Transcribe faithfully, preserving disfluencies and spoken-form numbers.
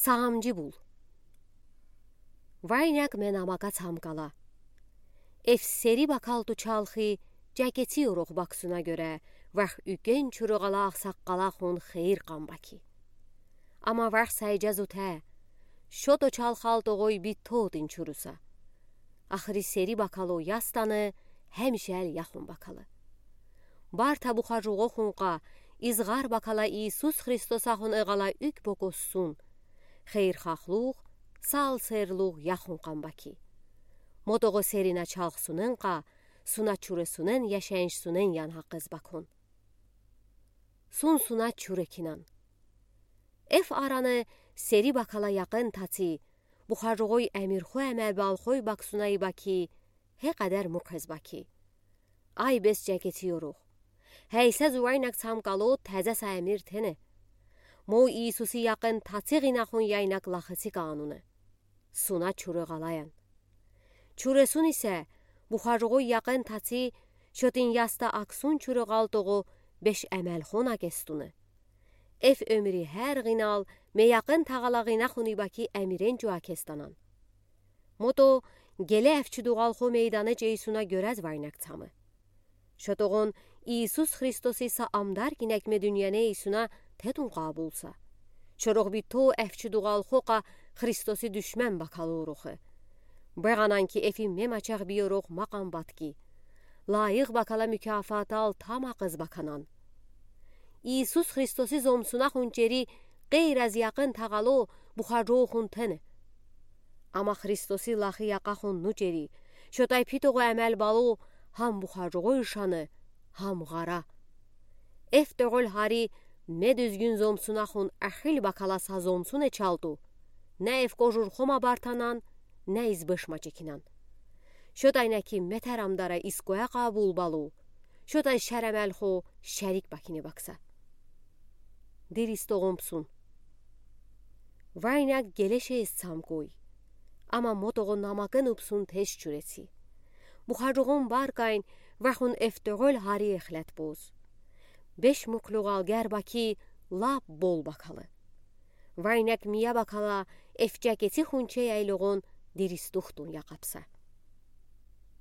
Саамджи бул. Вайнаг ме намагад сам гала. Эф сери бакалду чалхи, жакеци орух баксуна гёре, варх уьгенчуру гала ахсаккала хун хейир кан баки. Ама варх сайжа зутэ, шото чалхал тогой битто тин чуруса. Ахри сери бакало ястаны, хемшел яхун бакалы. Барта бухаржуго хунка, изгар бакала Иисус Христосахун эгала уьк бокосун. Хейир хахлух, сал серлух яхун кан баки. Мотого серина чалхсунэн ка, суна чуресунэн яшеншсунэн ян хакыз бакун. Сун суна чуре кинан. Эф араны сери бакала якын таци, бухаржугой эмирхо эмел балхой баксунай баки, хе кадер мукез баки. Ай бес жакеци орух. Хейсэ зувайнаг цам кало тазаса эмир тэнэ. Мо Иисуси якын таци гинахун яйнаг лахыци кануны. Суна чуре галаян. Чуресун исе, бухаржугой якын таци, шотин яста аксун чуре галтого беш эмел хона кестуны. Эф эмири хер гинал, ме якын тагала гинахуни баки эмирен жуа кестанан. Мото геле эфчи дугалхо мейданы жейсуна гёрез вайнаг цамы. Шотогон Иисус Христоси са амдар гинек ме дуниене эйсуна тетун кабулса. Шорох битто эфчи дугалхо ка Христоси душмен бакалы орухы. Беганан ки эфи ме мачах биорох макан батки. Лайых бакала мукафатал тамакыз баканан. Иисус Христоси зомсуна хун чери гейраз якын тагало бухаржугохун тэнэ. Ама Христоси лахи яка хун ну чери, шотай питого эмел бало хам бухаржуго ишаны, хам гара. Эф тёгөл хари ме дуьзгюн зомсуна хун ахил бакала са зомсуне чалту. Не эф кожур хома бартанан, не из беш мачекинан. Шотай не ки метер амдара искоя кабул балу, шотай шер эмел хо шерик бакине бакса. Дирис тогомпсун. Вайнаг гелешеес цам кой. Ама мотого намагын упсун теш чуреци. Бухаржугон баркайн вахун эф тёгөл хари эхлет боз. Беш муклугал гер баки лап бол бакалы. Вайнаг мия бакала эф жакеци хунче яйлогон дирис тухтун якапса.